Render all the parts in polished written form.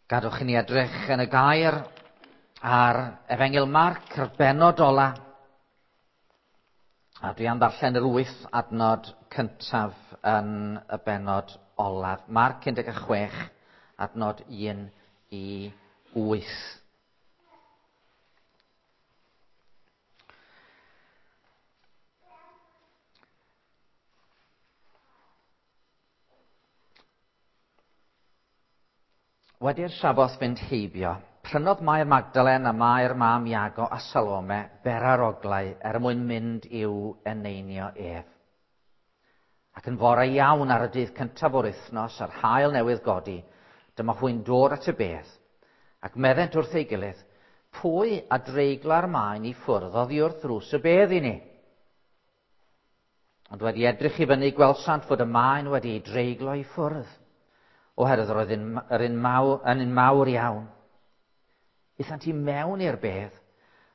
Gadwch i ni edrych yn y gair ar Efengyl Marc, yr bennod ola. A dwi am ddarllen yr wyth adnod cyntaf yn y bennod olaf. Marc 16, adnod 1 i 8. Wedi'r Saboth fynd heibio, prynodd Mair Magdalen a Mair mam Iago a Salome beraroglau er mwyn mynd i'w eneinio ef. Ac yn fore iawn ar y dydd cyntaf o'r wythnos, a'r haul newydd godi, dyma hwy'n dod at y bedd, ac meddent wrth ei gilydd, pwy a dreigla'r maen i ffwrdd oddi wrth ddrws y bedd i ni? Ond wedi edrych i fyny, gwelsant fod y maen wedi ei dreiglo i ffwrdd, oherwydd roedd yr un mawr, yn un mawr iawn. Aethant i mewn i'r bedd,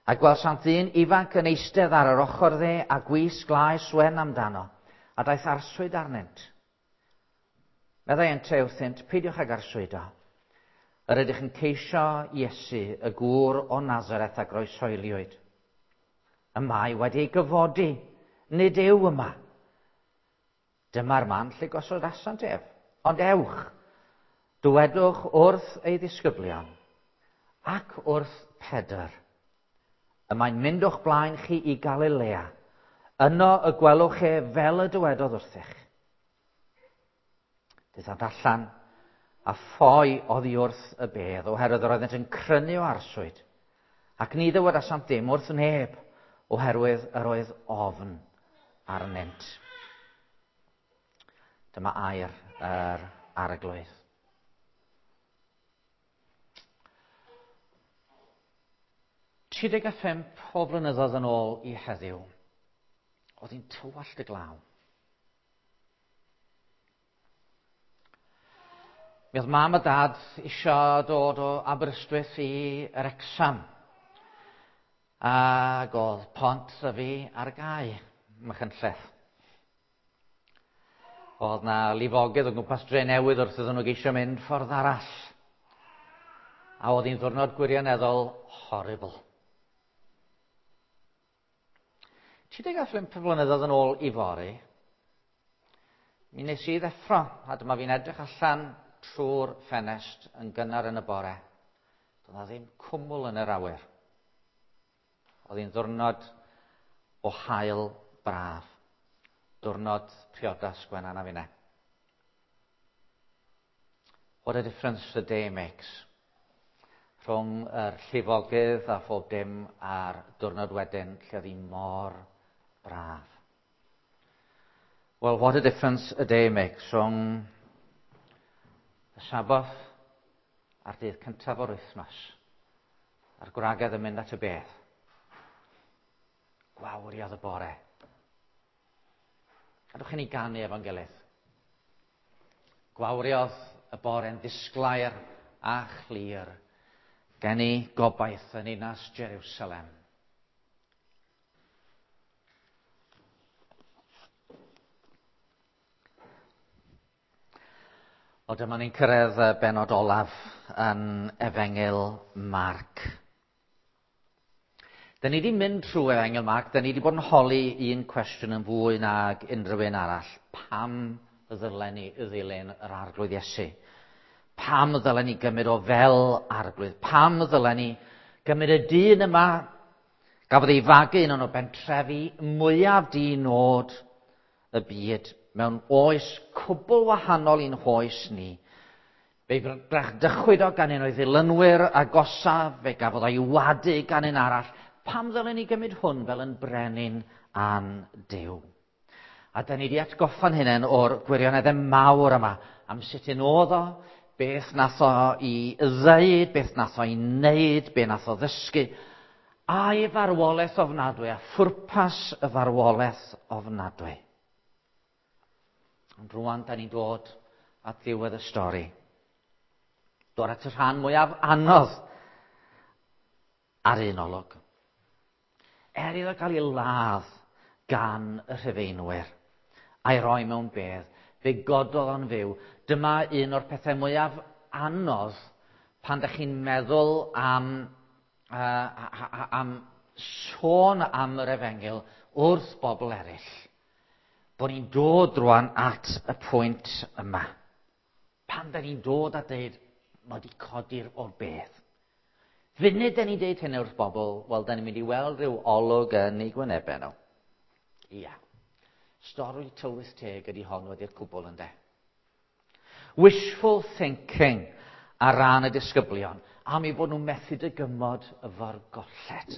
a gwelsant ddyn ifanc yn eistedd ar yr ochr dde a gwisg laes wen amdano, a daeth arswyd arnynt. Meddai ynte wrthynt, peidiwch ag arswydo. Yr ydych yn ceisio Iesu, y gŵr o Nazareth a groesoeliwyd. Y mae wedi ei gyfodi, nid yw yma. Dyma'r man lle gosodasant ef. Ond ewch, dywedwch wrth ei ddisgyblion ac wrth Pedr. Y mae'n mynd o'ch blaen chi i Galilea. Yno y gwelwch e fel y dywedodd wrthych. Daethant allan a ffoi oddi wrth y bedd, oherwydd yr oeddent yn crynu o arswyd. Ac ni ddywedasant ddim wrth neb, oherwydd yr oedd ofn arnynt. Dyma air yr arglwydd. 35 o flynyddoedd yn ôl i heddiw, oedd hi'n tywallt y glaw. Mi oedd mam a dad isio dod o Aberystwyth i Wrecsam. Ac oedd Pont Ddyfi ar gau, Machynlleth. Oedd na lifogydd o gwmpas dre newydd wrth iddyn nhw geisio mynd ffordd arall. A oedd hi'n ddwrnod gwirioneddol horrible. 35 flynyddoedd yn ôl i fory, mi nes i ddeffro, a dyma fi'n edrych allan trwy'r ffenest yn gynnar yn y bore. Doedd na ddim cwmwl yn yr awyr. Oedd hi'n ddwrnod o haul braf. Diwrnod priodas Gwenan a finne. What a difference a day makes. Rhwng yr llifogydd a phob dim a'r diwrnod wedyn lle oedd hi mor braf. Well, what a difference a day makes rhwng y Saboth a'r dydd cyntaf o'r wythnos a'r gwragedd yn mynd at y bedd. Gwawriodd y bore. Gadwch i ni ganu efo'n gilydd. Gwawriodd y bore'n ddisglair a chlir. Geni gobaith yn ninas Jerusalem. O dyma ni'n cyrraedd y bennod olaf yn Efengyl Marc. Dyn ni wedi mynd trwy Efengyl Marc, dyn ni wedi bod yn holi un cwestiwn yn fwy nag unrhyw un arall. Pam ddylen ni ddilyn yr Arglwydd Iesu? Pam ddylen ni gymryd o fel Arglwydd? Pam ddylen ni gymryd y dyn yma gafodd ei fagu yn un o bentrefi mwyaf di-nod y byd mewn oes cwbl wahanol i'n hoes ni? Fe'i brechdychwyd o gan un o'i ddilynwyr agosaf, fe gafodd o'i wadu gan un arall. Pam ddylen ni gymryd hwn fel yn brenin a'n Duw? A da ni wedi atgoffa'n hunain o'r gwirioneddau mawr yma am sut un oedd o, beth nath o i ddeud, beth nath o i wneud, beth nath o ddysgu, a'i farwolaeth ofnadwy a phwrpas y farwolaeth ofnadwy. Ond rwan, da ni'n dod at ddiwedd y stori. Dod at y rhan mwyaf anodd ar un olwg. Er iddo gael ei ladd gan y Rhufeinwyr a'i roi mewn bedd, fe gododd o'n fyw. Dyma un o'r pethau mwyaf anodd Pan da chi'n meddwl am sôn am yr efengyl wrth bobl eraill, bod ni'n dod rwan at y pwynt yma. Pan da ni'n dod a deud, mae wedi codi'r o'r bedd. Funud da ni'n deud hynny wrth bobl, wel, da ni'n mynd i weld rhyw olwg yn eu gwynebau nhw. Ia. Stori tylwyth teg ydy hon wedi'r cwbl, ynde. Wishful thinking ar ran y disgyblion am eu bod nhw'n methu dygymod efo'r golled.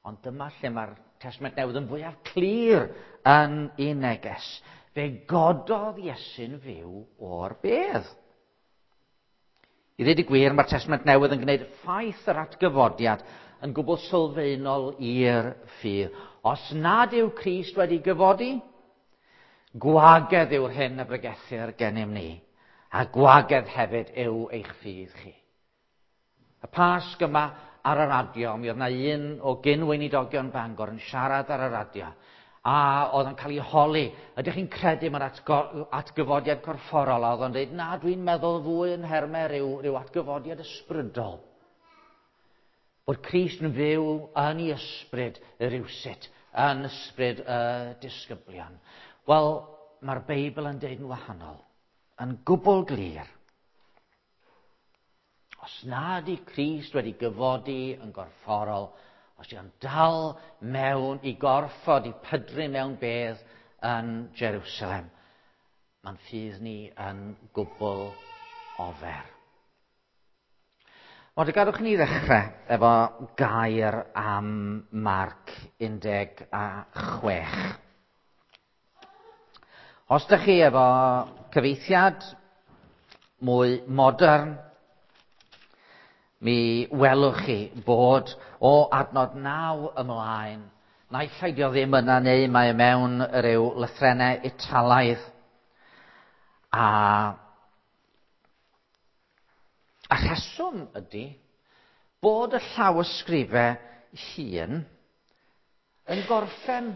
Ond dyma lle mae'r Testament Newydd yn fwyaf clir yn ei neges. Fe gododd Iesu'n fyw o'r bedd. I ddweud y gwir, mae'r Testament Newydd yn gwneud ffaith yr atgyfodiad yn gwbl sylfaenol i'r ffydd. Os nad yw Crist wedi gyfodi, gwagedd yw'r hyn y bregethir gennym ni, a gwagedd hefyd yw eich ffydd chi. Y Pasg yma ar y radio, mi oedd 'na un o gyn-weinidogion Bangor yn siarad ar y radio, a oedd yn cael ei holi, ydych chi'n credu mewn atgyfodiad corfforol? A oedd o'n dweud, na, dwi'n meddwl fwy yn nhermau rhyw atgyfodiad ysbrydol. Bod Crist yn fyw yn ei ysbryd rywsut, yn ysbryd y disgyblion. Wel, mae'r Beibl yn deud yn wahanol, yn gwbl glir. Os nad yw Crist wedi gyfodi yn gorfforol, os yw'n dal mewn i gorffod i pydru mewn bedd yn Jerusalem, mae'n ffydd ni yn gwbl ofer. Ond gadwch ni ddechrau efo gair am Marc 16. Os ydych chi efo cyfieithiad mwy modern, mi welwch chi bod o adnod 9 ymlaen, naill ai dio ddim yna neu mae e mewn ryw lythrennau Italaidd. A rheswm ydy bod y llawysgrifau hŷn yn gorffen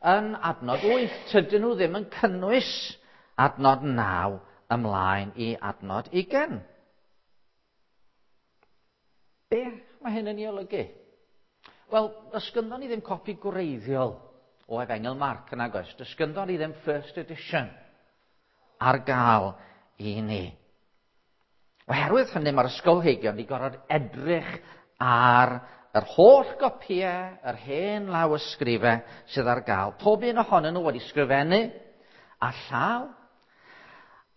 yn adnod 8. Tydyn nhw ddim yn cynnwys adnod 9 ymlaen i adnod 20. Be mae hyn yn ei olygu? Wel, does gynddon ni ddim copi gwreiddiol o Efengyl Marc yn agos. Does gynddon ni ddim first edition ar gael i ni. Oherwydd hynny, mae'r ysgolheigion wedi gorfod edrych ar yr holl gopïau, yr hen lawysgrifau sydd ar gael. Pob un ohonyn nhw wedi sgrifennu a llaw,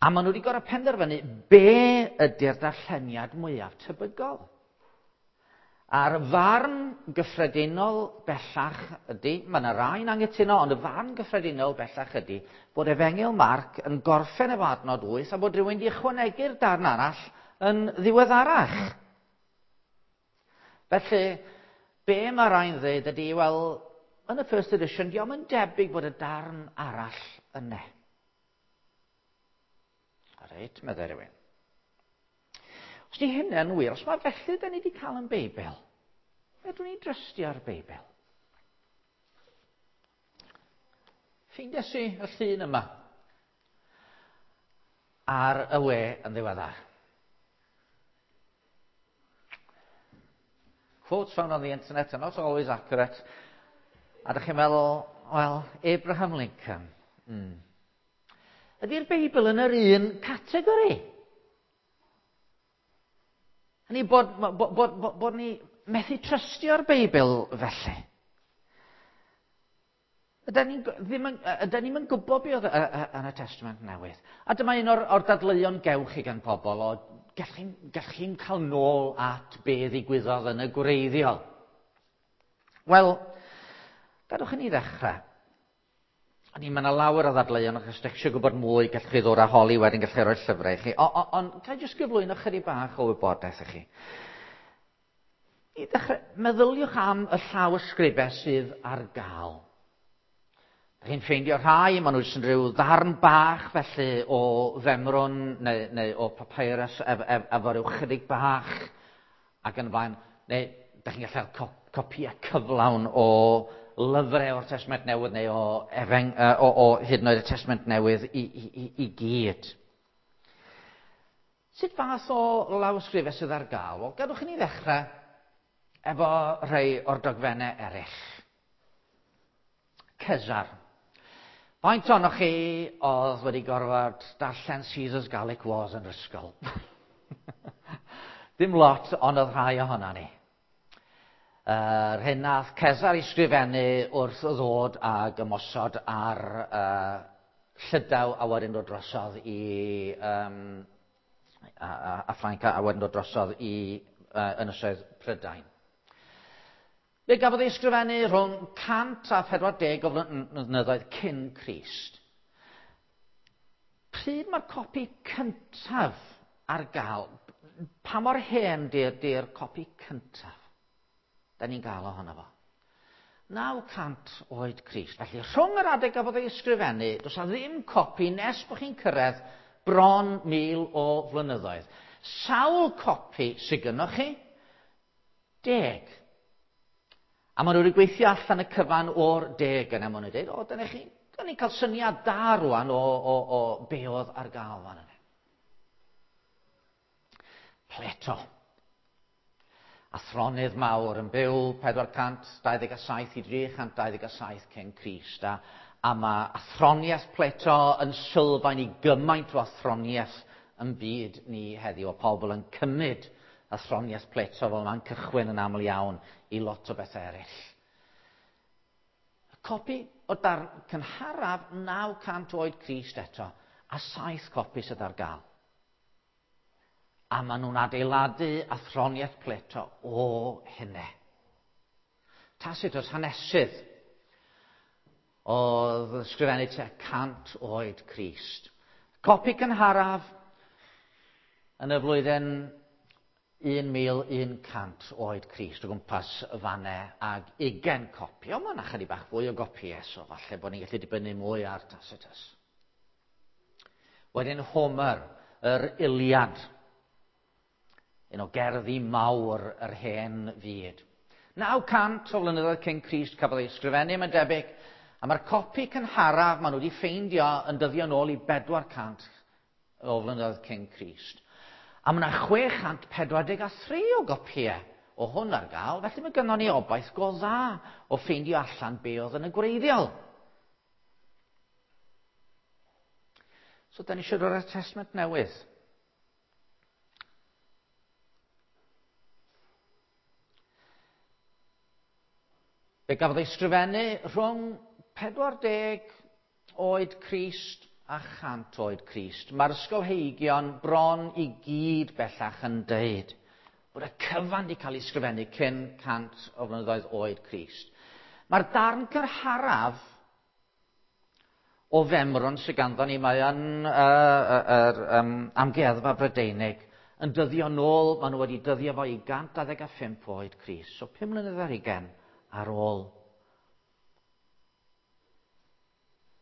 a maen nhw wedi gorfod penderfynu be ydy'r darlleniad mwyaf tebygol. A'r farn gyffredinol bellach ydy, mae yna rai'n angytuno, ond y farn gyffredinol bellach ydy bod Efengyl Marc yn gorffen efo adnod 8 a bod rhywun wedi ychwanegu'r darn arall yn ddiweddarach. Felly, be mae rai'n dweud ydy, wel, yn y first edition, diolch yn debyg bod y darn arall yna. Reit, meddai rhywun. Os di hynny'n wir, os mae felly da ni wedi cael yn Beibl, fedrwn ni drystio'r Beibl? Ffeindiais i y llun yma ar y we yn ddiweddar. Quotes found on the internet are not always accurate. A dych chi'n meddwl, wel, Abraham Lincoln. Ydy'r Beibl yn yr un categori? Hynny bod ni methu trystio'r Beibl felly. Ydy ni'n yn gwybod beth oedd yn y Testament Newydd. A dyma un o'r dadleuon gewch chi gan pobl o gallwch chi'n cael nôl at be ddigwyddodd yn y gwreiddiol. Wel, gadwch i ni ddechrau. Mae yna lawer o ddadleuon, achos ydych chi eisiau gwybod mwy, gallwch chi ddod â holi wedyn, gallwch chi roi llyfrau i chi. Ond ga i jyst gyflwyno chydig bach o wybodaeth i chi. I ddechrau, meddyliwch am y llawysgrifau sydd ar gael. Dych chi'n ffeindio rhai, maen nhw jyst yn rhyw ddarn bach felly o femrwn neu o papyrus efo rhyw chydig bach ac yn y blaen. Neu dych chi'n gallu cael copïau cyflawn o lyfrau o'r Testament Newydd neu o hyd yn oed y Testament Newydd i gyd. Sut fath o lawysgrifau sydd ar gael? Wel, gadwch i ni ddechrau efo rhai o'r dogfennau eraill. Cesar. Faint ohonoch chi oedd wedi gorfod darllen Caesar's Gallic Wars yn yr ysgol? Dim lot, ond oedd rhai ohono ni. Yr hyn nath Cesar i sgrifennu wrth ddod ag ymosod ar Llydaw a wedyn dod drosodd i um, a Ffrainc a wedyn dod drosodd i Ynysoedd Prydain. Fe gafodd ei ysgrifennu rhwng 140 o flynyddoedd cyn Crist. Pryd mae'r copi cyntaf ar gael? Pa mor hen di'r di copi cyntaf? Da ni'n gael ohono fo. 900 oed Crist. Felly, rhwng yr adeg gafodd ei ysgrifennu, does a ddim copi nes bod chi'n cyrraedd bron 1000 o flynyddoedd. Sawl copi sydd gynnoch chi? 10. A maen nhw wedi gweithio allan y cyfan o'r 10 yna. Maen nhw'n dweud, o, dyna chi, dyna ni'n cael syniad da rwan o be oedd ar gael fan yna. Plato. Athronydd mawr yn byw 427 i 327 cyn Crist. A mae athroniaeth Plato yn sylfaen i gymaint o athroniaeth yn byd ni heddiw. O pobl yn cymryd athroniaeth Plato fel mae'n cychwyn yn aml iawn i lot o bethau eraill. Y copi o darn cynharaf 900 oed Crist eto, a 7 copi sydd ar gael. A maen nhw'n adeiladu athroniaeth Plato o hynny. Tacitus hanesydd oedd yn ysgrifennu tua 100 oed Crist. Copi cynharaf yn y flwyddyn 1100 oed Crist o gwmpas y fanne ag 20 copi. Ond mae yna chydig bach fwy o gopïau, so falle bod ni'n gallu dibynnu mwy ar Tacitus. Wedyn Homer, yr Iliad, un o gerddi mawr yr hen fyd. 900 o flynyddoedd cyn Crist cafodd ei ysgrifennu, mae'n debyg, a mae'r copi cynharaf maen nhw wedi ffeindio yn dyddio nôl i 400 o flynyddoedd cyn Crist. A mae yna 643 o gopïau o hwn ar gael, felly mae gynnon ni obaith go dda o ffeindio allan be oedd yn y gwreiddiol. So, da ni eisiau dod â'r Testament Newydd. Fe gafodd ei sgrifennu rhwng 40 oed Crist a 100 oed Crist. Mae'r ysgolheigion bron i gyd bellach yn deud bod y cyfan wedi cael ei sgrifennu cyn 100 o flynyddoedd oed Crist. Mae'r darn cynharaf o femrwn sydd ganddo ni, mae yn amgueddfa Brydeinig, yn dyddio nôl, maen nhw wedi dyddio fo i 125 oed Crist. So 5 mlynedd ar hugain ar ôl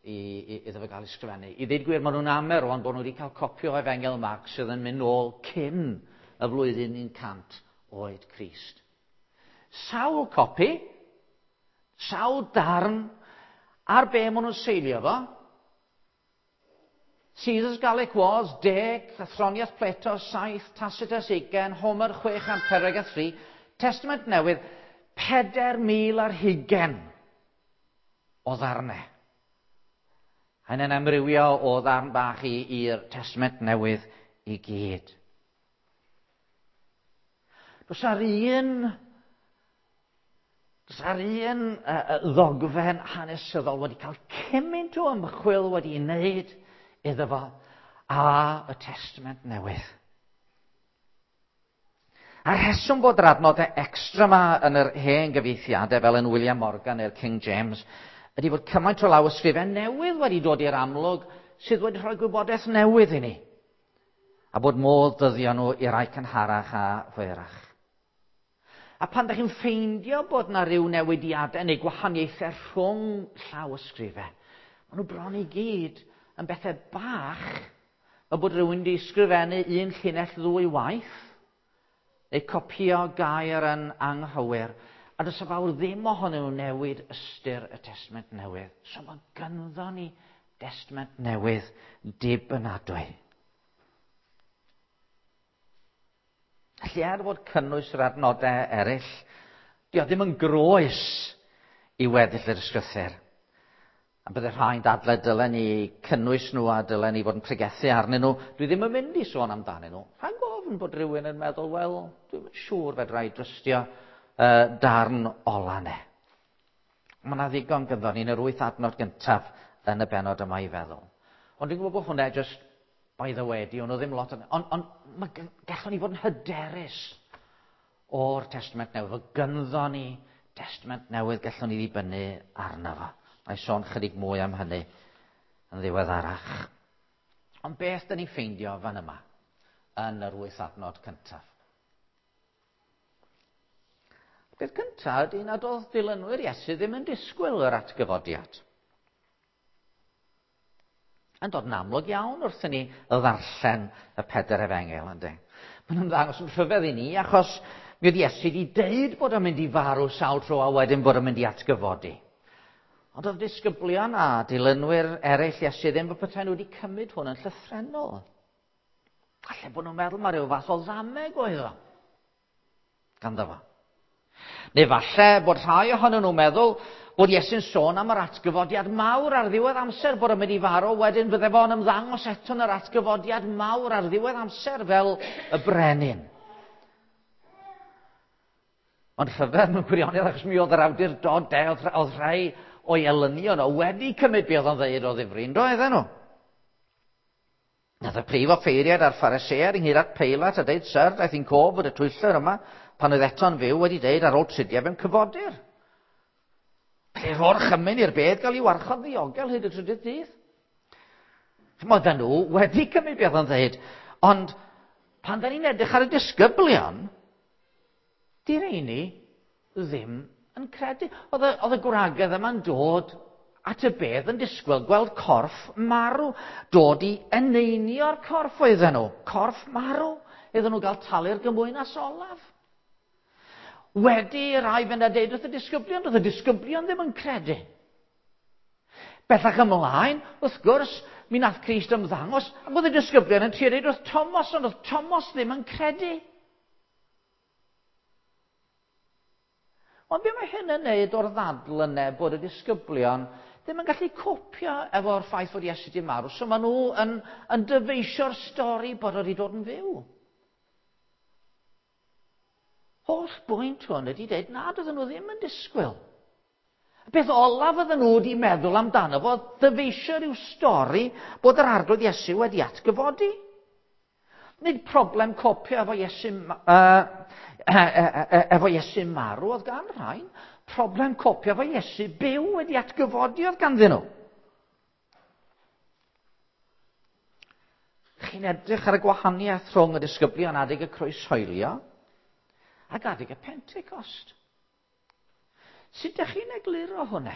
iddo fo gael ei sgrifennu. I ddweud gwir, maen nhw'n amer rwan bod nhw wedi cael copi o Efengyl Marc sydd yn mynd nôl cyn y flwyddyn 100 oed Crist. Sawl copi, sawl darn, ar be maen nhw'n seilio fo? Caesar's Gallic Wars, 10, Athroniaeth Plato, 7, Tacitus, 20, Homer, 643, Testament Newydd, 4,000 ar hugain o ddarnau. Hynny'n amrywio o ddarn bach i'r Testament Newydd i gyd. Does ar un ddogfen hanesyddol wedi cael cymaint o ymchwil wedi ei wneud iddo fo a y Testament Newydd. A'r rheswm bod yr adnodau extra yma yn yr hen gyfieithiadau fel yn William Morgan neu'r King James ydy bod cymaint o law ysgrifen newydd wedi dod i'r amlwg sydd wedi rhoi gwybodaeth newydd i ni. A bod modd dyddio nhw i rai cynharach a hwyrach. A pan ydych chi'n ffeindio bod yna ryw newidiadau neu gwahaniaethau rhwng llaw ysgrifau, maen nhw bron i gyd yn bethau bach, fel bod rhywun wedi ysgrifennu un llinell ddwy waith, neu copïo gair yn anghywir, a does y fawr ddim ohonyn nhw newid ystyr y Testament Newydd. So mae ganddo ni Testament Newydd dibynadwy. Felly er fod cynnwys yr adnodau eraill, di o ddim yn groes i weddill yr ysgrythyr. A bydde rhai'n dadlau dylen ni cynnwys nhw a dylen ni fod yn pregethu arnyn nhw. Dwi ddim yn mynd i sôn amdanyn nhw. Rhaid gofyn bod rhywun yn meddwl, wel, dwi'n siŵr fedra i drystio darn ola ne. Mae yna ddigon gyda ni yn yr wyth adnod gyntaf yn y benod yma i feddwl. Ond dwi'n gwybod bod hwnna just by the way, di hwnnw ddim lot. Ond on, mae gallwn ni fod yn hyderus o'r Testament Newydd. Fod gynddo ni Testament Newydd gallwn ni ddibynnu arno fo. Mae sôn chydig mwy am hynny yn ddiweddarach. Ond beth dyn ni'n ffeindio fan yma yn yr wyth adnod cyntaf? Beth cyntaf ydy nad oedd dilynwyr Iesu ddim yn disgwyl yr atgyfodiad. Yn dod yn amlwg iawn wrth i ni ddarllen y pedair efengyl, ynddi? Mae'n ymddangos yn rhyfedd i ni, achos mi oedd Iesu wedi deud bod o'n mynd i farw sawl tro a wedyn bod o'n mynd i atgyfodi. Ond oedd disgyblion a dilynwyr eraill Iesu ddim bod petai nhw wedi cymryd hwn yn llythrennol. Falle bod nhw'n meddwl mae rhyw fath o ddameg oedd o ganddo fo. Neu falle bod rhai ohonyn nhw'n meddwl bod Iesu'n sôn am yr atgyfodiad mawr ar ddiwedd amser, bod o'n mynd i farw, wedyn fydde fo'n ymddangos eto yn yr atgyfodiad mawr ar ddiwedd amser fel y brenin. Ond rhyfedd mewn gwirionedd, achos mi oedd yr awdurdod, oedd, oedd rhai o'i elynion o wedi cymryd be oedd o'n ddeud o ddifri, yn doedden nhw? Nath y prif offeiriad a'r Phariseaid ynghyd at Peilat a deud, Syr, daeth i'n cof fod y twyllwr yma, pan oedd eto'n fyw, wedi deud ar ôl tridiau fe'n cyfodir. Felly rho'r chymyn i'r bedd gael ei warchod ddiogel hyd y trydydd dydd. Chymod, nhw wedi cymryd beth o'n dweud, ond pan da ni'n edrych ar y disgyblion, di rheini ddim yn credu. Oedd y, oedd y gwragedd yma'n dod at y bedd yn disgwyl gweld corff marw. Dod i eneinio'r corff oedden nhw. Corff marw. Iddyn nhw gael talu'r gymwynas olaf. Wedi rai fynd a deud wrth y disgyblion, doedd y disgyblion ddim yn credu. Bellach ymlaen, wrth gwrs, mi nath Crist ymddangos, ac oedd y disgyblion yn trio deud wrth Thomas, ond oedd Thomas ddim yn credu. Ond be mae hyn yn neud o'r ddadl yna bod y disgyblion ddim yn gallu copio efo'r ffaith fod Iesu wedi marw, so maen nhw yn, yn dyfeisio'r stori bod o wedi dod yn fyw. Holl bwynt hwn ydy dweud nad oedden nhw ddim yn disgwyl. Y peth olaf oedden nhw wedi meddwl amdano fo, ddyfeisio rhyw stori bod yr arglwydd Iesu wedi atgyfodi. Nid problem copio efo Iesu, efo Iesu marw oedd gan rhain. Problem copio efo Iesu byw wedi atgyfodi oedd ganddyn nhw. Chi'n edrych ar y gwahaniaeth rhwng y disgyblion adeg y croeshoelio ac adeg y Pentecost. Sut ydych chi'n egluro hwnna?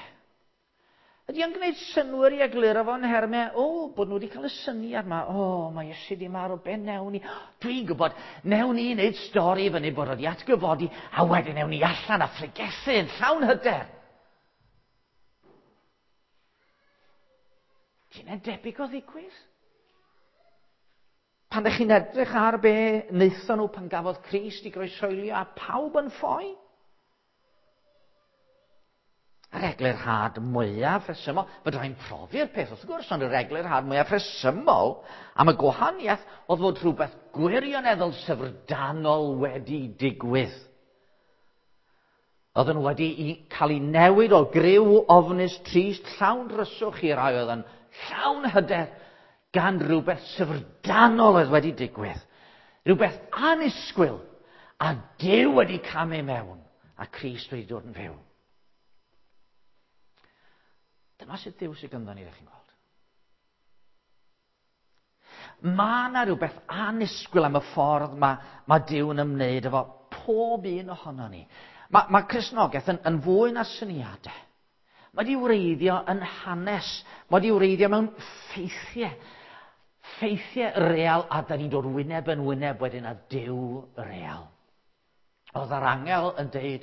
Ydy o'n gwneud synnwyr i egluro fo yn nhermau, o, bod nhw wedi cael y syniad yma, o, mae Iesu di marw, be newn ni? Dwi'n gwybod, newn ni wneud stori fyny bod wedi atgyfodi, a wedyn newn ni allan a phregethu yn llawn hyder. Ti'n debyg o ddigwydd? Pan ydych chi'n edrych ar be wnaethon nhw pan gafodd Crist i groeshoelio a pawb yn ffoi? Yr eglurhad mwyaf rhesymol, fedra i'n profi'r peth wrth gwrs, ond yr eglurhad mwyaf rhesymol am y gwahaniaeth oedd fod rhywbeth gwirioneddol syfrdanol wedi digwydd. Oedden nhw wedi cael ei newid o griw ofnus trist, llawn dryswch i rai oedd yn llawn hyder gan rhywbeth syfrdanol oedd wedi digwydd. Rhywbeth annisgwyl a Duw wedi camu mewn a Crist wedi dod yn fyw. Dyma sut Duw sydd ganddo ni, ydych chi'n gweld. Mae yna rhywbeth annisgwyl am y ffordd mae, mae Duw yn ymwneud efo pob un ohono ni. Mae, mae Cristnogaeth yn, yn fwy na syniadau. Mae wedi wreiddio yn hanes. Mae wedi wreiddio mewn ffeithiau. Ffeithiau real a da ni'n dod wyneb yn wyneb wedyn â Duw real. Oedd yr angel yn deud,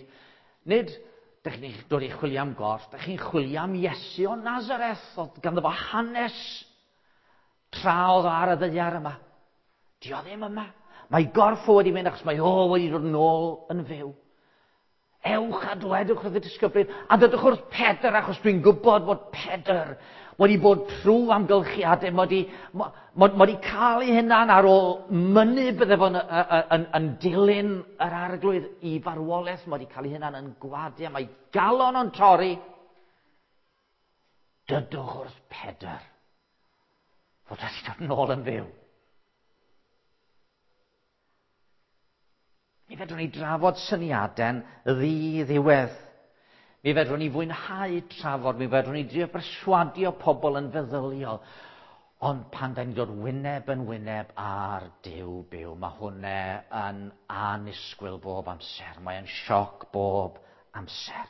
nid dych chi'n dod i chwilio am gorff, dych chi'n chwilio am Iesu o Nazareth, oedd ganddo fo hanes tra oedd o ar y ddaear yma. Di o ddim yma. Mae gorff o wedi mynd achos mae o wedi dod nôl yn fyw. Ewch a dwedwch wrth y disgyblion, a dydwch wrth Pedr, achos dwi'n gwybod bod Pedr wedi bod trwy amgylchiadau, mae wedi, mae, mae wedi cael ei hunan ar ôl mynnu bydde fo'n yn, yn, yn dilyn yr arglwydd i farwolaeth, mae wedi cael ei hunan yn gwadu, a mae galon o'n torri. Dydwch wrth Pedr fod wedi dod nôl yn fyw. Mi fedrwn ni drafod syniadau'n ddi-ddiwedd. Mi fedrwn ni fwynhau trafod, mi fedrwn ni drio berswadio pobl yn feddyliol. Ond pan da ni'n dod wyneb yn wyneb ar Duw byw, mae hwnna yn annisgwyl bob amser. Mae'n sioc bob amser.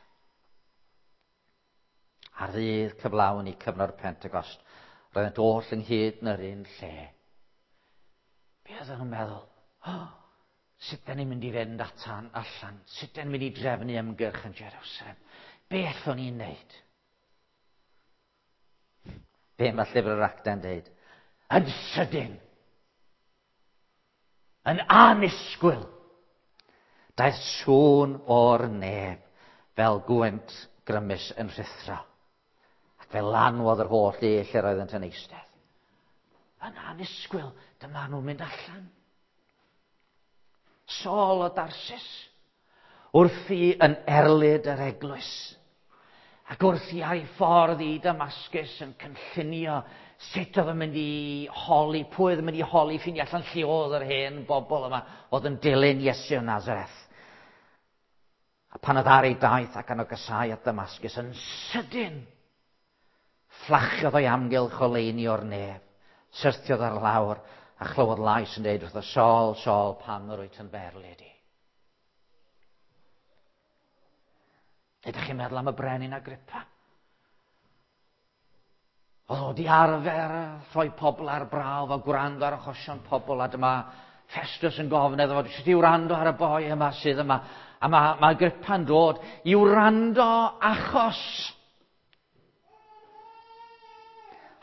Ar ddydd cyflawn i cyfnod Pentecost, roeddent oll ynghyd yn yr un lle. Be oedden nhw'n meddwl? Oh, sut da ni'n mynd i fynd atan allan? Sut da ni'n mynd i drefnu ymgyrch yn Jerusalem? Be allwn ni'n neud? Be mae llyfr yr Actau'n dweud? Yn sydyn. Yn anisgwyl. Daeth sŵn o'r nef fel gwynt grymus yn rhuthro. Ac fe lanwodd yr holl le lle roeddent yn eistedd. Yn anisgwyl, dyma nhw'n mynd allan. Saul o Darsis, wrthi yn erlid yr eglwys, ac wrthi ar ei ffordd i Damascus yn cynllunio sut oedd yn mynd i holi, pwy oedd yn mynd i holi, ffeindio allan lle oedd yr hen bobl yma oedd yn dilyn Iesu o Nazareth. A pan oedd ar ei daith ac yn ogysau at Damascus yn sydyn, fflachiodd o'i amgylch oleuni o'r nef, syrthiodd ar lawr a chlywodd lais yn dweud wrtho, Saul, Saul, pam yr wyt yn fy erlid i? Ydych chi'n meddwl am y brenin Agrippa? Oedd o wedi arfer rhoi pobl ar brawf a gwrando ar achosion pobl, a dyma Festus yn gofyn iddo fo, sut i wrando ar y boi yma sydd yma. A mae, mae Agrippa'n dod i wrando achos.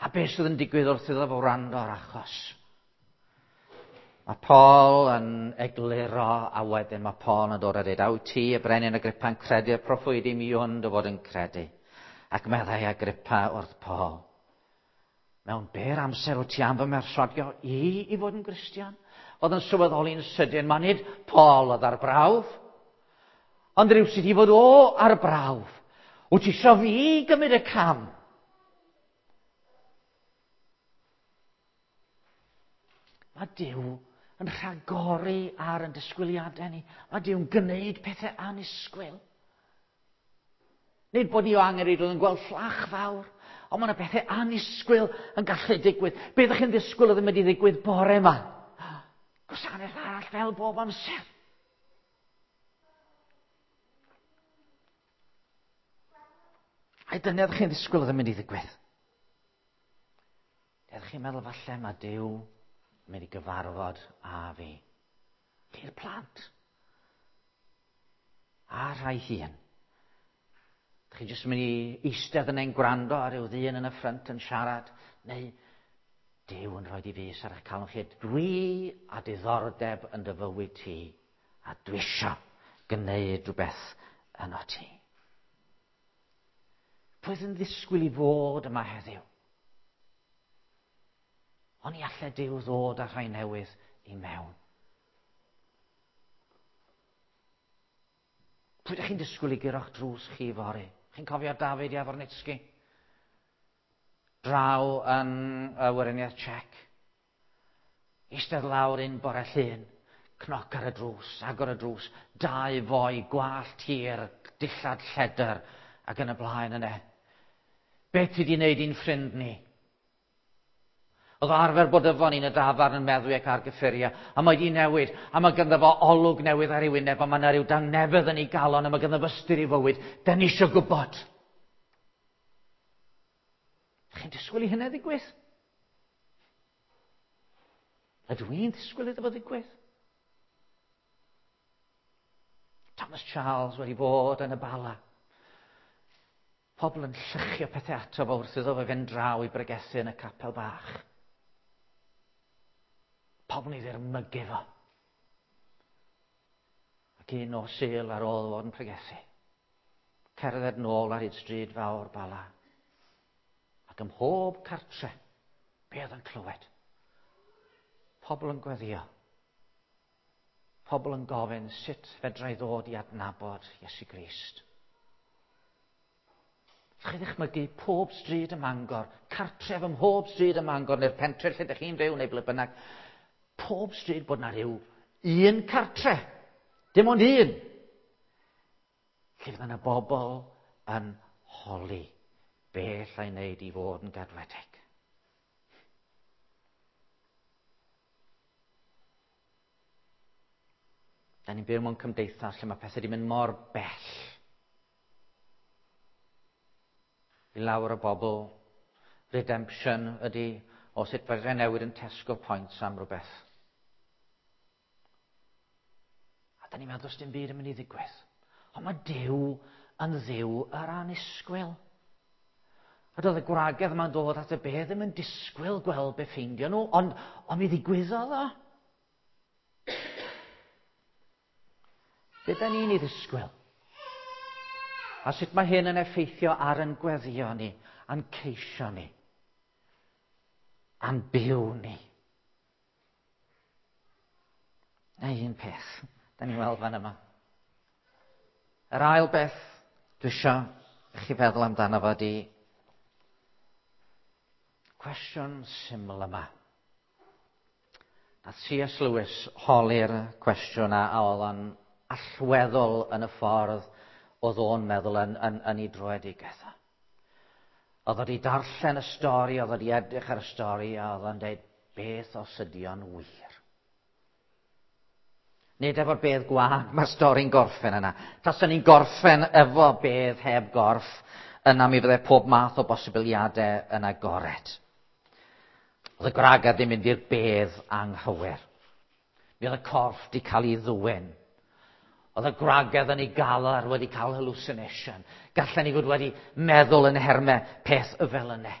A beth sydd yn digwydd wrth iddo fo wrando ar achos? Mae Paul yn egluro, a wedyn mae Paul yn dod a dweud, a wyt ti, y brenin Agrippa, yn credu'r proffwydi mi hwn dy fod yn credu? Ac meddai Agrippa wrth Paul, mewn byr amser wyt ti am fy mherswadio i i fod yn Gristion? Oedd yn sylweddoli'n sydyn, mae nid Paul oedd ar brawf, ond rhywsut i fod o ar brawf. Wyt ti isio fi gymryd y cam? Mae Duw yn rhagori ar yn disgwyliadau ni. Mae Duw'n gwneud pethau annisgwyl. Nid bod ni o angen rhaid yn gweld fflach fawr, ond mae yna pethau annisgwyl yn gallu digwydd. Be ydych chi'n ddisgwyl oedd yn mynd i ddigwydd bore yma? Gwasanaeth arall fel bob amser. Ai dyna ydych chi'n ddisgwyl oedd yn mynd i ddigwydd? Ydych chi'n meddwl falle mae Duw yn mynd i gyfarfod â fi? Chi'r plant. A rhai hun. Ydych chi jyst yn mynd i eistedd yn ein gwrando ar ryw ddyn yn y ffrynt yn siarad, neu Duw yn rhoi di fys ar eich calon chi. Dwi a diddordeb yn dy fywyd ti, a dwi isio gwneud rhywbeth yno ti. Pwy oedd yn ddisgwyl i fod yma heddiw? Ond i allai Duw ddod â rhai newydd i mewn. Pwy ydych chi'n disgwyl i guro'ch drws chi fory? Chi'n cofio David Javornitsky? Draw yn y Weriniaeth Czech. Eistedd lawr un bore llun, cnoc ar y drws, agor y drws, dau foi, gwallt hir, dillad lledr, ac yn y blaen yna. Be ti di wneud i'n ffrind ni? Oedd o arfer bod efo ni'n y dafarn yn meddwi ac ar gyffuriau, a mae di newid, a mae ganddo fo olwg newydd ar ei wyneb, a mae yna rhyw dangnefedd yn ei galon, a mae ganddo fo ystyr i fywyd. Da ni eisiau gwybod. Chi'n disgwyl i hynny ddigwydd? Ydw i'n disgwyl iddo fo ddigwydd? Thomas Charles wedi bod yn y Bala. Pobl yn llychio pethau ato fo wrth iddo fe fynd draw i bregethu yn y capel bach. Pobl yn ei ddirmygu fo. Ac un nos Sul ar ôl fod yn pregethu, cerdded nôl ar hyd stryd fawr Bala. Ac ym mhob cartre, be oedd yn clywed? Pobl yn gweddio. Pobl yn gofyn sut fedra i ddod i adnabod Iesu Grist. Chi ddychmygu pob stryd ym Mangor, cartref ym mhob stryd ym Mangor, neu'r pentre lle ydych chi'n byw, neu ble bynnag, pob stryd bod na rhyw un cartre, dim ond un, lle fydd yna bobl yn holi be allai wneud i fod yn gadwedig. Da ni'n byw mewn cymdeithas lle mae pethau wedi mynd mor bell. I lawer o bobl, redemption ydy o sut fedrai newid yn Tesco Points am rhywbeth. A da ni'n meddwl does dim byd yn mynd i ddigwydd. Ond mae Duw yn Dduw yr annisgwyl. A doedd y gwragedd yma'n dod at y bedd ddim yn disgwyl gweld be ffeindio nhw, ond, ond mi ddigwyddodd o. Be da ni'n ei ddisgwyl? A sut mae hyn yn effeithio ar yn gweddio ni, a'n ceisio ni, a'n byw ni? Na un peth, da ni'n weld fan yma. Yr ail beth dwi eisiau i chi feddwl amdano fo di cwestiwn syml yma. Nath C.S. Lewis holi'r cwestiwn a, a oedd o'n allweddol yn y ffordd oedd o'n meddwl yn, yn, yn ei droedigaeth. Oedd wedi darllen y stori, oedd wedi edrych ar y stori, a oedd o'n dweud, beth os ydy o'n wir? Nid efo'r bedd gwag mae'r stori'n gorffen yna. Taswn ni'n gorffen efo bedd heb gorff, yna mi fydde pob math o bosibiliadau yn agored. Oedd y gwragedd ddim mynd i'r bedd anghywir. Mi oedd y corff di cael ei ddwyn. Oedd y gwragedd yn ei galar wedi cael hallucination. Gallen ni fod wedi meddwl yn hermau peth y fel yna.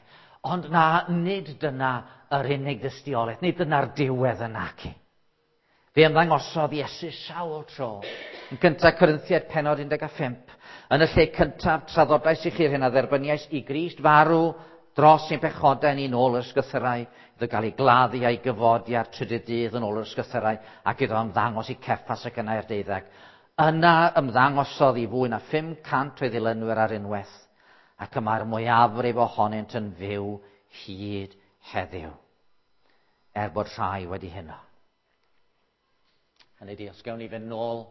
Ond na, nid dyna yr unig dystiolaeth, nid dyna'r diwedd yna ci. Fe ymddangosodd Iesu sawl tro. Yn gyntaf Corinthiaid penod 15. Yn y lle cyntaf, traddodais i chi'r hyn a dderbyniais i Grist farw dros ein pechodau ni nôl yr ysgythyrau, iddo gael ei gladdu a'i gyfodi ar trydydd dydd yn ôl yr ysgythyrau, ac iddo ymddangos i Ceffas ac yna i'r deuddeg. Yna ymddangosodd i fwy na 500 o'i ddilynwyr ar unwaith, ac y mae'r mwyafrif ohonynt yn fyw hyd heddiw, er bod rhai wedi hynno. Hynny di, os gewn ni fynd nôl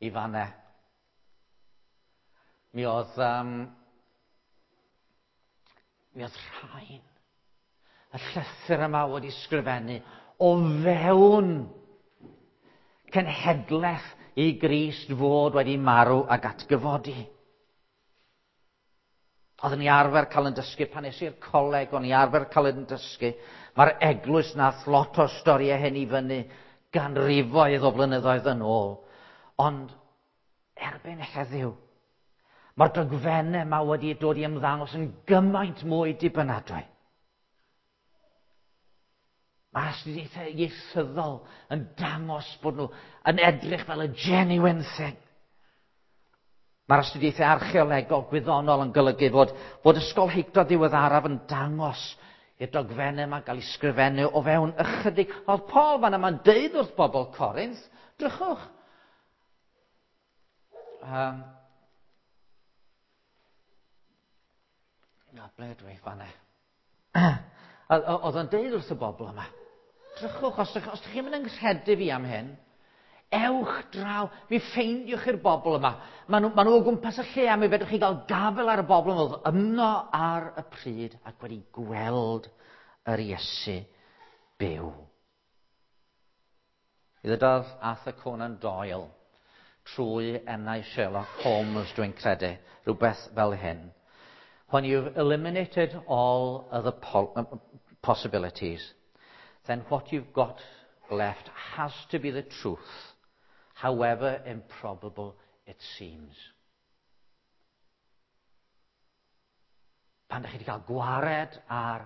i fanne, mi oedd, um, mi oedd rhain, y llythyr yma wedi sgrifennu o fewn cenhedlaeth i Grist fod wedi marw ac atgyfodi. Oeddwn i arfer cael yn dysgu pan es i'r coleg, o'n i arfer cael yn dysgu. Mae'r eglwys nath lot o storiau hyn i fyny ganrifoedd o flynyddoedd yn ôl. Ond erbyn heddiw, mae'r dogfennau yma wedi dod i ymddangos yn gymaint mwy dibynadwy. Mae astudiaethau ieithyddol yn dangos bod nhw yn edrych fel y genuine thing. Mae'r astudiaethau archeolegol gwyddonol yn golygu fod, fod ysgolheictod ddiweddaraf yn dangos i'r dogfennau yma gael ei sgrifennu o fewn ychydig. Oedd Paul fan yma'n deud wrth bobl Corinth, drychwch. Um, na, ble dwi fanna? Oedd o'n deud wrth y bobl yma, drychwch, os, os ydych chi'n mynd yng fi am hyn, ewch draw, mi ffeindiwch i'r bobl yma. Maen nhw, ma nhw o gwmpas y lle a mi fedrwch chi gael gafel ar y bobl yma oedd yno ar y pryd ac wedi gweld yr Iesu byw. I ddydodd Arthur Conan Doyle trwy enau Sherlock Holmes, dwi'n credu, rhywbeth fel hyn. When you've eliminated all other possibilities, then what you've got left has to be the truth, however improbable it seems. Pan ydych chi wedi cael gwared ar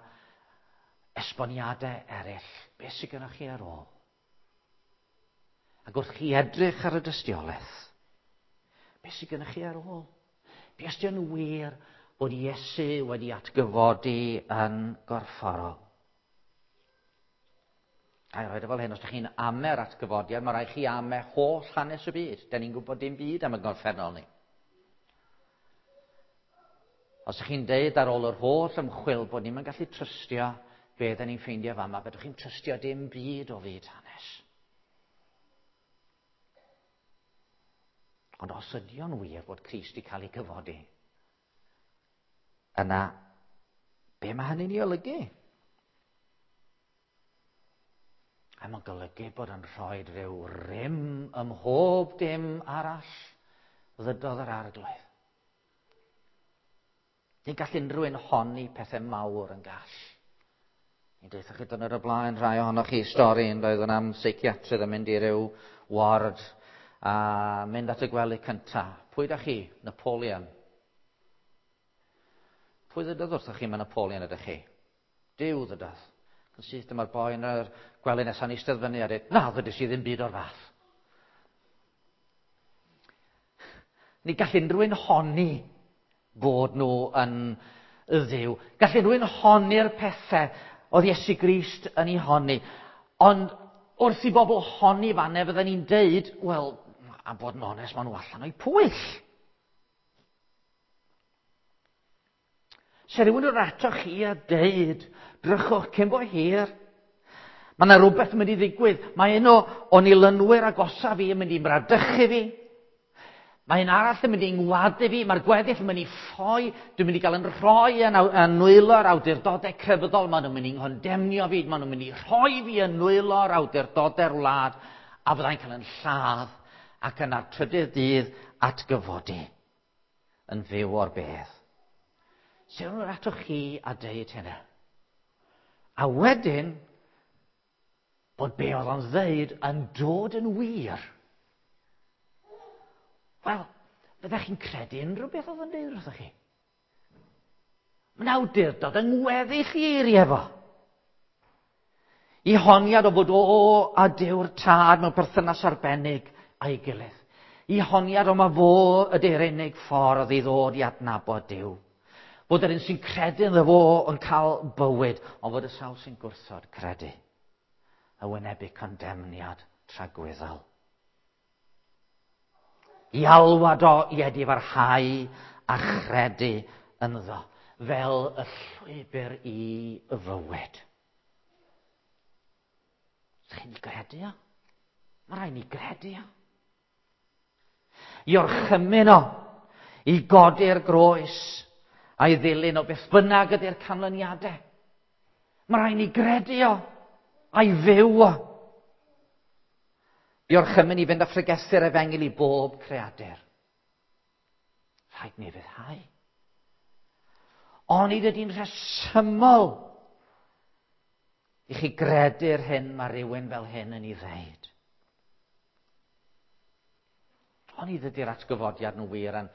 esboniadau eraill, beth sydd gennych chi ar ôl? Ac wrth chi edrych ar y dystiolaeth, beth sydd gennych chi ar ôl? Be os yn wir bod Iesu wedi atgyfodi yn gorfforol? A i roed o fel hyn, os ydych chi'n ame'r atgyfodiad, mae rhaid chi ame holl hanes y byd. Da ni'n gwybod dim byd am y gorffennol ni. Os ydych chi'n deud ar ôl yr holl ymchwil bod ni'n gallu trystio be da ni'n ffeindio fama, fedrwch chi'n trystio dim byd o fyd hanes. Ond os ydy o'n wir bod Crist wedi cael ei cyfodi, yna, be mae hynny'n ei olygu? A mae'n golygu bod yn rhoi rhyw rym ym mhob dim arall ddydodd yr arglwydd. Ni'n gall unrhyw un honni pethau mawr yn gall. Ni'n deutha chi dyn ar y blaen rhai ohonoch chi stori yn doedd yn am seiciatrydd yn mynd i ryw ward a mynd at y gwely cynta. Pwy da chi? Napoleon. Pwy ddydodd wrthoch chi mae Napoleon ydych chi? Duw ddydodd. Yn syth dyma'r boi yn yr gwely nesaf yn eistedd fyny a dweud, na, ddydys i ddim byd o'r fath. Ni gall unrhyw un honni bod nhw yn ddiw. Gall unrhyw un honni'r pethau oedd Iesu Grist yn ei honni. Ond wrth i bobl honni fanne, fydden ni'n deud, wel, a bod yn onest, maen nhw allan o'i pwyll. Se rhywun yn ato chi a deud, drychwch cyn bo hir, mae yna rhywbeth yn mynd i ddigwydd. Mae un o onilynwyr agosaf fi yn mynd i mradychu fi. Mae un arall yn mynd i ngwadu fi, mae'r gweddill yn mynd i ffoi, dwi'n mynd i gael yn rhoi yn, yn nwylo'r awdurdodau crefyddol, maen nhw'n mynd i nghondemnio fi, maen nhw'n mynd i rhoi fi yn nwylo'r awdurdodau'r wlad, a fyddai'n cael yn lladd ac yna'r trydydd dydd atgyfodi yn fyw o'r bedd. Sut nhw'n atoch chi a deud hynna? A wedyn, bod be oedd o'n ddeud yn dod yn wir. Wel, fyddech chi'n credu unrhyw beth oedd yn deud wrthych chi? Mae'n awdurdod yng ngweddill i eiriau fo. I honiad o fod o a Duw'r tad mewn perthynas arbennig a'i gilydd. I honiad o ma fo ydy'r unig ffordd i ddod i adnabod Duw. Bod yr un sy'n credu ynddo fo yn cael bywyd, ond fod y sawl sy'n gwrthod credu a wynebu condemniad tragwyddol. I alwad o i edifarhau a chredu ynddo fel y llwybr i fywyd. Ydych chi'n gredu o? Mae rhaid ni gredu o. I orchymyn o, i godi'r groes a'i ddilyn o beth bynnag ydy'r canlyniadau. Mae rhaid ni gredu o a'i fyw o. I orchymyn i fynd â phregethu'r efengyl i bob creadur. Rhaid ni fyddhau. Onid ydy'n rhesymol i chi gredu'r hyn mae rhywun fel hyn yn ei ddeud. Onid ydy'r atgyfodiad nhw wir yn,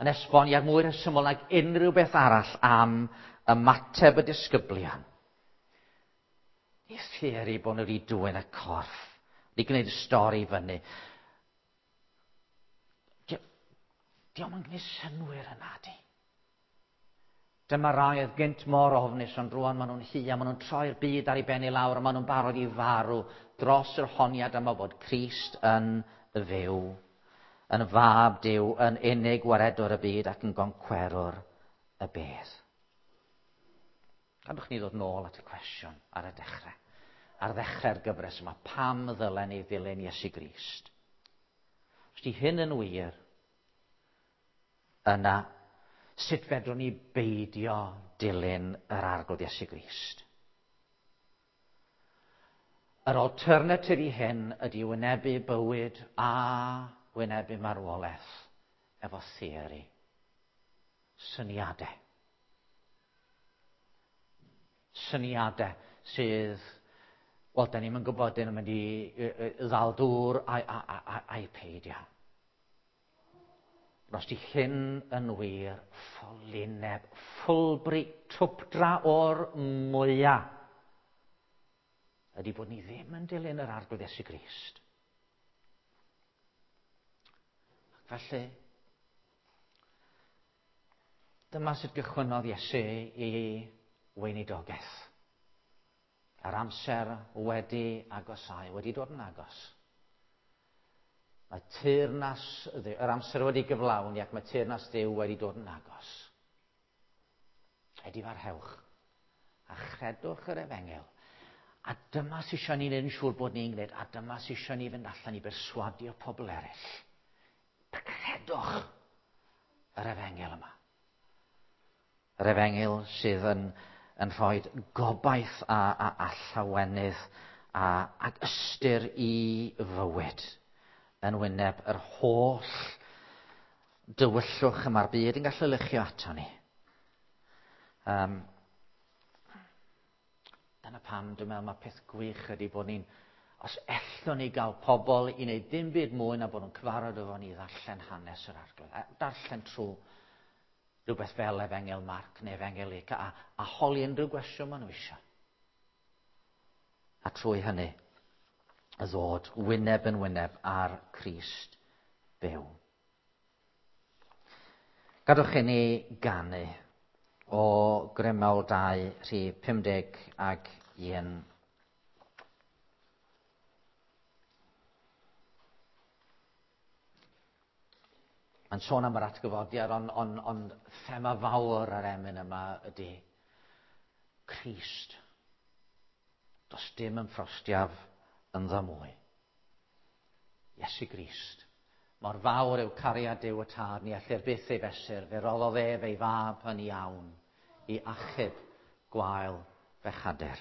yn esboniad mwy rhesymol nag unrhyw beth arall am ymateb y disgyblion. I theori bod nhw wedi dwyn y corff, wedi gwneud y stori fyny. Diolch yn gwneud synwyr yna, di. Dyma rai oedd gynt mor ofnus, ond rwan maen nhw'n hia, maen nhw'n troi'r byd ar ei ben i lawr, a maen nhw'n barod i farw dros yr honiad yma bod Crist yn fyw, yn fab Duw, yn unig waredwr y byd ac yn goncwerwr y bedd. Gadwch ni ddod nôl at y cwestiwn ar y dechrau. Ar ddechrau'r gyfres yma, pam ddylen ni ddilyn Iesu Grist? Os di hyn yn wir, yna sut fedrwn ni beidio dilyn yr arglwydd Iesu Grist? Yr alternatif i hyn ydy wynebu bywyd a wynebu marwolaeth efo theori. Syniadau. Syniadau sydd, wel, da ni'n gwybod dyn nhw'n mynd i ddal dŵr a'i peidio. Os di hyn yn wir, ffolineb, ffwlbri, twpdra o'r mwyaf, ydy bod ni ddim yn dilyn yr arglwydd Iesu Grist. Ac felly, dyma sut gychwynnodd Iesu i weinidogaeth. A'r amser wedi agosau, wedi dod yn agos. Mae teyrnas, yr amser wedi gyflawni ac mae teyrnas Dduw wedi dod yn agos. Edifarhewch a chredwch yr efengyl. A dyma sy'n eisiau ni wneud yn siŵr bod ni'n gwneud, a dyma sy'n eisiau ni fynd allan i berswadio pobl eraill. Credwch yr efengyl yma. Yr efengyl sydd yn, yn rhoi gobaith a, a, a llawenydd a, ac ystyr i fywyd yn wyneb yr holl dywyllwch y mae'r byd yn gallu luchio ato ni. Um, dyna pam dwi'n meddwl mae peth gwych ydy bod ni'n, os ellwn ni gael pobl i wneud dim byd mwy na bod nhw'n cyfarfod efo ni ddarllen hanes yr arglwydd. A darllen trwy rhywbeth fel Efengyl Marc neu Efengyl Luc a, a holi unrhyw gwestiwn maen nhw eisiau. A trwy hynny, y ddod wyneb yn wyneb ar Crist byw. Gadwch i ni ganu o Grymawl 2, rhif 50 ag 1. Mae'n sôn am yr atgyfodiad, ond on, on thema fawr yr emyn yma ydy Crist. Does dim yn ffrostiaf ynddo mwy. Iesu Grist. Mor fawr yw cariad Duw y Tad, ni ellir byth ei fesur, fe roddodd ef ei fab yn iawn i achub gwael fechadur.